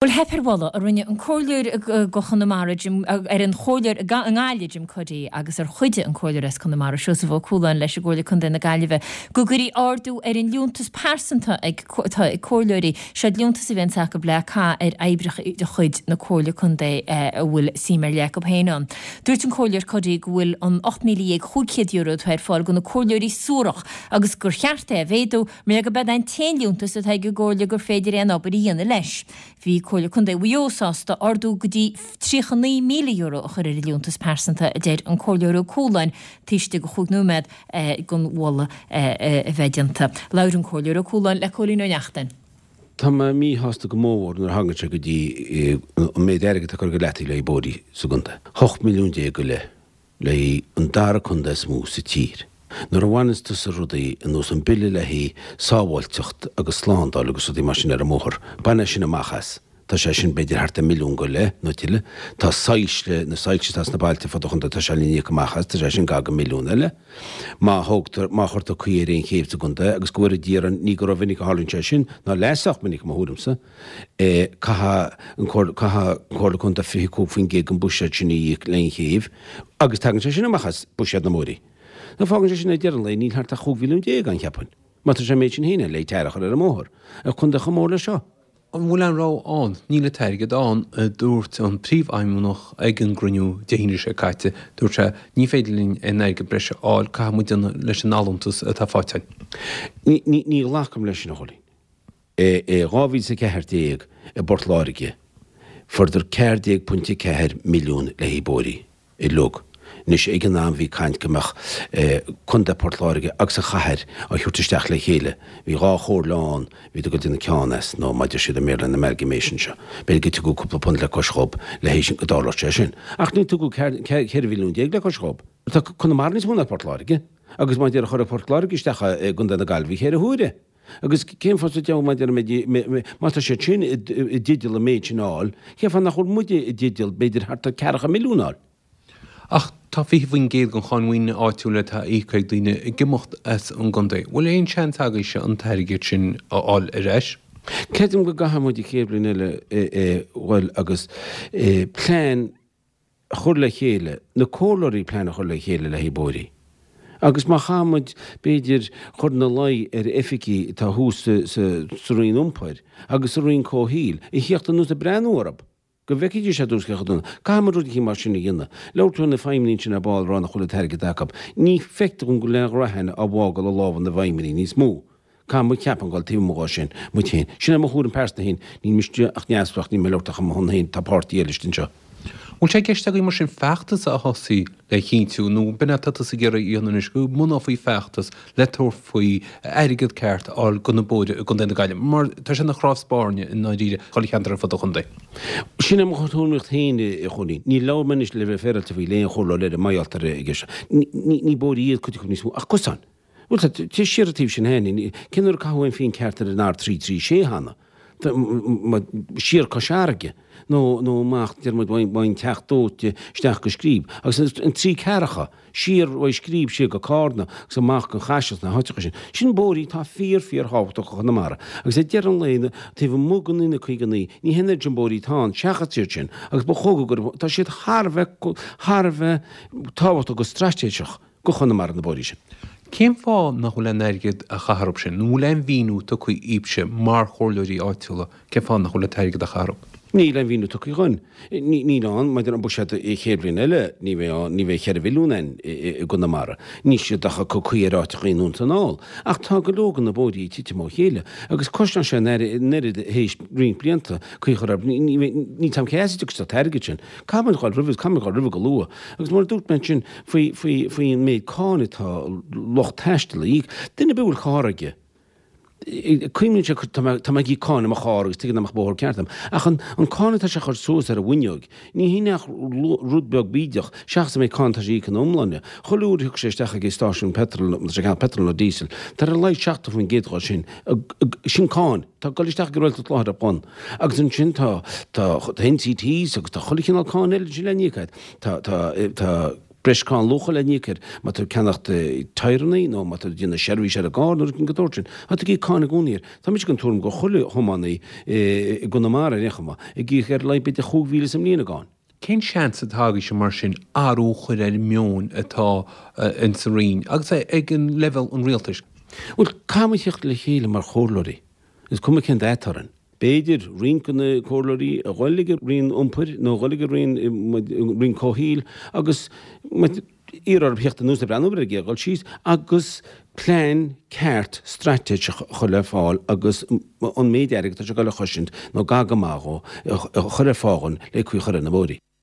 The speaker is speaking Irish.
Bhuel, theip ar mholadh a rinne an Comhairleoir go Chonamara, Jim, ar an Chomhairleoir i nGaillimh, Jim Cuddy, agus ar chuidigh an Comhairleoir as Conamara, Seosamh Ó Cualáin, leis i gComhairle Contae na Gaillimhe, go gcuirfí ardú ar an liúntas pearsanta ag atá ag Comhairleoirí. Seo liúntas a bhíonns acu le caitheamh ar oibreacha de chuid na Comhairle Contae a bhfuil suim ar leith acu féin ann. Dúirt an Comhairleoir Cuddy go bhfuil an €18,500 atá ar fáil do na Comhairleoirí suarach agus gur cheart é a mhéadú Mar gurb é an t-aon liúntas atá ag an gComhairle gur féidir aon obair a dhéanamh leis. Bhí Comhairle Contae Mhaigh Eo sásta ardú go dtí €39,000 a chur ar an liúntas pearsanta, a deir an Comhairleoir Ó Cualáin taobh istigh de chúig nóiméad den mholadh a bheith déanta. Labhair an Comhairleoir Ó Cualáin le Cóilín Ó Neachtain. Tá mé míshásta go mór nuair a thagann sé go dtí an méid airgid atá curtha go leataobh le haghaidh bóithrí sa gcontae. 18 milliún go leith. le haghaidh an dara contae is mó sa tír. Nuair a bhaineanns tusa rudaí ar nós an bille le haghaidh sábháilteacht agus slándáil agus rudaí mar sin ar an mbóthar, bain é sin amach as. Tá sé sin b'fhéidir thart ar mhilliún go leith nó tuilleadh. Tá soilse, na soilse atá sna bailte fud an chontae, tá sé le n-íoc amach as, tá sé sin gar go milliún eile. Má thógtar, má chuirtear caoi ar aon chéibh sa gcontae, agus go bhfóire Dia orainn, ní go rómhinic a tharlaíonn sé sin, ná leath sách minic i mo thuairimse, Caithfidh an Comhairle Contae 25% den bhuiséad sin a íoc le an chéibh agus tagann sé sin amach as buiséad na mbóithrí. Now fágann sé sin ag deireadh an lae níl thart ach 15 mhilliún ann cheapfainn, má tá sé an méid sin féin ann le tar a chur ar an mbóthar, ar chontae chomh mór leis seo. An bhfuil aon rogha ann? Níl an t-airgead ann, a dúirt an príomhfheidhmeannach ag an gcruinniú Dé hAoine seo caite. Dúirt sé, ní féidir linn aon airgead breise a fháil, caithfidh muid déanamh leis an allúntas atá faighte againn. Ní ghlacaim leis sin, a Chóilín. I 2014 i bPort Láirge fuaireadar 14.4 milliún le haghaidh bóithrí uilig. Anois ag an am bhí caint go mbeadh Contae Port Láirge agus an chathair á thabhairt isteach le chéile. Bhí dhá chomhairle ann, bhí ag dul ag déanamh ceann as, nó mar a deir siad i mBéarla an amalgamation seo. B'fhéidir go tugadh cúpla punt le cois dhób le haghaidh sin go dtarlódh sé sin. Ach ní tugadh 14 mhilliún le cois dhób. Tá Conamara níos mó ná Port Láirge agus má deir chuir Port Láirge isteach i gContae na Gaillimhe cheithre huaire. Agus cén fáth sa diabhal má deirimid, má tá siad sin i dteideal an méid sin a fháil, cén fáth nach bhfuil muide i dteideal b'fhéidir thart ar ceathracha milliún a fháil? Ach tá 20% den cháin mhaoine áitiúil atá íoctha ag daoine ag imeacht as an gcontae. Bhfuil aon seans agaibhse an t-airgead sin a fháil ar ais? Creidim go gcaithfidh muid an chéad bhliain eile a dhul agus plean a chur le chéile, na comhairleoirí plean a chur le chéile le haghaidh bóithrí. Agus má chaithfidh muid, b'fhéidir, chur ina luí ar oifigigh atá thuas sa Roinn Iompair agus sa Roinn Comhshaoil a thíocht anuas ag breathnú orthu, go bhfeicfidís ar dtús cé chomh dona. Caithfidh muid rud eicínt mar sin a dhéanamh. Labhair tú ar na feidhmeannaigh ansin ar ball ag rá nach bhfuil an t-airgead acu. Ní feictear dom go bhfuil aon ghraithin á bhfágáil i lámha na bhfeidhmeannaigh níos mó. Caithfidh muid ceapaim dul taobh amuigh dhó sin, muid féin. Sin é mo thuairim pearsanta féin. Níl mise ach neamhspleách, níl mé ag labhairt ach ar mo shon féin, tá páirtí eile istigh anseo. Bhfuil sé i gceist agaibh mar sin feachtas a thosaí le chinntiú, nó b'in é atá tusa ag iarraidh a dhéanamh anois, go mbunófaí feachtas le tabhairt faoi airgead ceart a fháil do na bóithre i gContae na Gaillimhe, mar tá sé ina chnámh spairne i ndáiríre chuile cheantar ar fud an chontae. Sin é mo thuairimíocht féin, a Chóilín. Níor labhair mé anois le bheith féaráilte faoi le aon chomhairleoir eile, mar gheall ar aige seo. Ní bóithre iad cuid acu níos mó, ach cosáin. Bhuel, tá sé siar an taobh sin féin. Cén uair a caitheadh aon phingin ceart ar an R336 cheana? Siar Cois Fharraige nó nó amach, deir muid, ón Teach Dóite isteach go Scríb. Agus an trí ceathracha, siar uaidh Scríb siar go Cárna agus amach go Caiseal sna háiteacha sin. Sin bóithrí atá fíor fíor thábhachtach do Chonamara. Agus ag deireadh an lae, taobh amuigh den N59, ní hé an oiread sin bóithrí atá ann seachas iad sin. Agus ba chóir go gcuirfeadh, tá siad thar a bheith, thar a bheith tábhachtach go straitéiseach. go Chonamara na bóithrí sin. Cén fáth nach bhfuil aon airgead á chaitheamh orthu sin? Nó an bhfuil aon mhíniú tugtha dhaoibhse mar chomhairleoirí áitiúla cén fáth nach bhfuil an t-airgead á chaitheamh orthu? Níl aon mhíniú tugtha dhúinn. Níl ann, maidir an buiséad an chéad bhliain eile, ní bheidh ann, ní bheidh cheithre mhilliún ann i gConamara. Níl siad ach ag cur caoi ar áiteacha anonn is anall. Ach tá go leor de na bóithrí ag titim ó chéile agus cosnaíonn sé an oiread théis roinnt blianta caoi a chur orthu. Níl a fhios agam cé as a dtiocfaidh an t-airgead sin. Caithfidh muid dhul roimhe, caithfidh muid dhul roimhe go luath. Agus mar a dúirt mé ansin faoi, faoi, faoi an méid cáin atá lucht taistil a íoc, duine ar bith a bhfuil carr aige, cuimhníonn sé, tá mé, tá mé ag íoc cáin ar mo charr agus tuige nach mbeadh bóthar ceart agam. Ach an, an cáin atá sé a chur suas ar an bhfuinneog, ní hin ach rud beag bídeach, seachas an méid cáin atá sé a íoc ina iomláine. Chuile uair a thiocfadh sé isteach ag stáisiún peitril, má tá sé ag ceannach peitril nó díosail, tá ar a laghad 70% dhó sin, sin cáin. Tá ag dul isteach ag an rialtas láithreach bonn. Agus ansin tá, tá, tá NCTs agus tá chuile chineál cáin eile ansin le n-íoc agat. Tá, tá, tá. Breis cáin luacha le n-íoc air má tá tú ag ceannacht tyreannaí nó má tá tú ag déanamh seirbhís ar an gcarr nó rud den tsórt sin. Tá tú ag íoc cáin i gcónaí air. Tá mise den tuairim go chuile thiománaí i gConamara ar aon chuma ag íoc ar a laghad b'fhéidir 5,000 sa mbliain i gcáin. Cén seans atá agaibhse mar sin athrú a chur ar an meon atá ins an Roinn agus ag an leibhéal an rialtais? Bhuel, caithfidh muid theacht le chéile mar chomhairleoirí. Is cuma cén dath atá orainn. B'fhéidir roinnt de na comhairleoirí a dhul ag an Roinn Iompair nó a dhul ag an Roinn, Roinn Comhshaoil agus iarraidh orthu theacht anuas ag breathnú ar an dhul síos agus plean ceart straitéiseach a chur le fáil agus an méid airgid atá sé ag dul a chosaint nó gar go maith dhó a chur ar fáil dhúinn le caoi a chur ar na bóithrí.